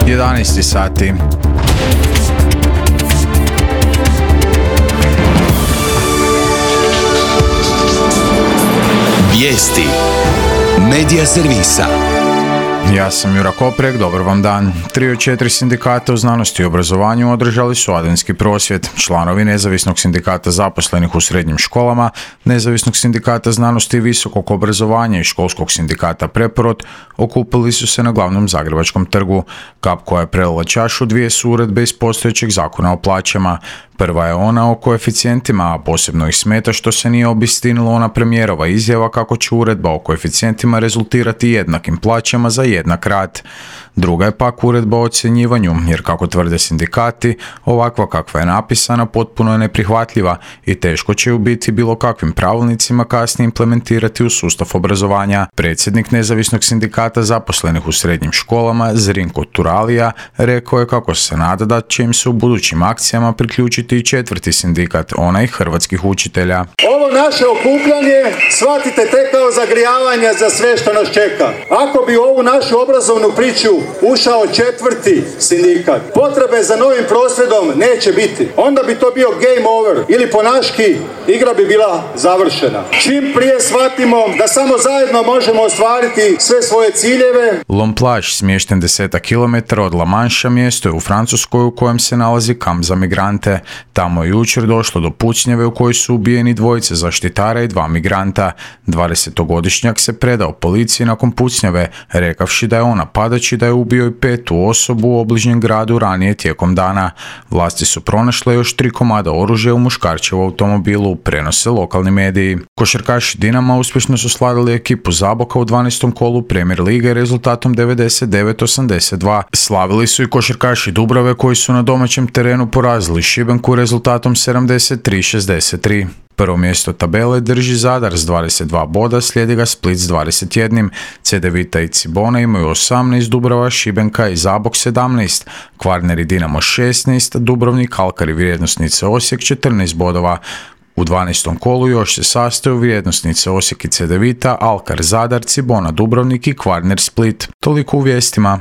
11 sati. Vijesti Medija servisa. Ja sam Jura Koprek, dobar vam dan. 3 od 4 sindikata u znanosti i obrazovanju održali su adventski prosvjed. Članovi Nezavisnog sindikata zaposlenih u srednjim školama, Nezavisnog sindikata znanosti i visokog obrazovanja i Školskog sindikata Preporod okupili su se na glavnom Zagrebačkom trgu. Kap koja je prelila čašu dvije su uredbe iz postojećeg zakona o plaćama. Prva je ona o koeficijentima, a posebno ih smeta što se nije obistinila ona premijerova izjava kako će uredba o koeficijentima rezultirati jednakim plaćama za jednak rad. Druga je pak uredba o ocjenjivanju, jer kako tvrde sindikati, ovakva kakva je napisana potpuno je neprihvatljiva i teško će ju biti bilo kakvim pravilnicima kasnije implementirati u sustav obrazovanja. Predsjednik Nezavisnog sindikata zaposlenih u srednjim školama, Zrinko Turalija, rekao je kako se nada da će im se u budućim akcijama priključiti i četvrti sindikat, onaj hrvatskih učitelja. Ovo naše okupljanje shvatite tek kao zagrijavanje za sve što nas čeka. Ako bi u ovu našu obrazovnu priču ušao četvrti sindikat, potrebe za novim prosvjedom neće biti. Onda bi to bio game over ili po naški igra bi bila završena. Čim prije shvatimo da samo zajedno možemo ostvariti sve svoje ciljeve. L'Homme-Plage, smješten 10 km od La Mancha, mjesto je u Francuskoj u kojem se nalazi kamp za migrante. Tamo je jučer došlo do pucnjave u kojoj su ubijeni dvojice zaštitara i 2 migranta. 20-godišnjak se predao policiji nakon pucnjave, rekavši da je on napadač i da je ubio i 5. osobu u obližnjem gradu ranije tijekom dana. Vlasti su pronašle još 3 komada oružja u muškarčevu automobilu, prenose lokalni mediji. Košarkaši Dinama uspješno su slavili ekipu Zaboka u 12. kolu Premier lige rezultatom 99-82. Slavili su i košarkaši Dubrave koji su na domaćem terenu porazili Šibenku rezultatom 73-63. Prvo mjesto tabele drži Zadar s 22 boda, slijedi ga Split s 21. Cedevita i Cibona imaju 18, Dubrava, Šibenka i Zabok 17, Kvarner i Dinamo 16, Dubrovnik, Alkar i vrijednosnice Osijek 14 bodova. U 12. kolu još se sastaju vrijednosnice Osijek i Cedevita, Alkar, Zadar, Cibona, Dubrovnik i Kvarner, Split. Toliko u vijestima.